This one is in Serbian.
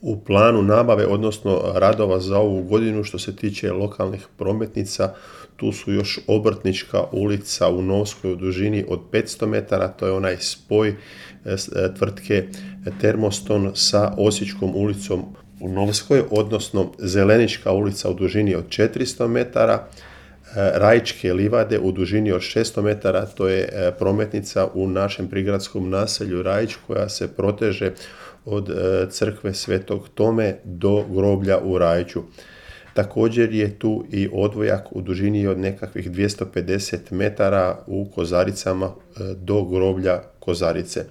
U planu nabave, odnosno radova za ovu godinu, što se tiče lokalnih prometnica, tu su još Obrtnička ulica u Novskoj u dužini od 500 metara, to je onaj spoj tvrtke Termoston sa Osječkom ulicom u Novskoj, odnosno Zelenička ulica u dužini od 400 metara, Rajičke livade u dužini od 600 metara, to je prometnica u našem prigradskom naselju Rajić koja se proteže od crkve Svetog Tome do groblja u Rajiću. Također je tu i odvojak u dužini od nekakvih 250 metara u Kozaricama do groblja Kozarice.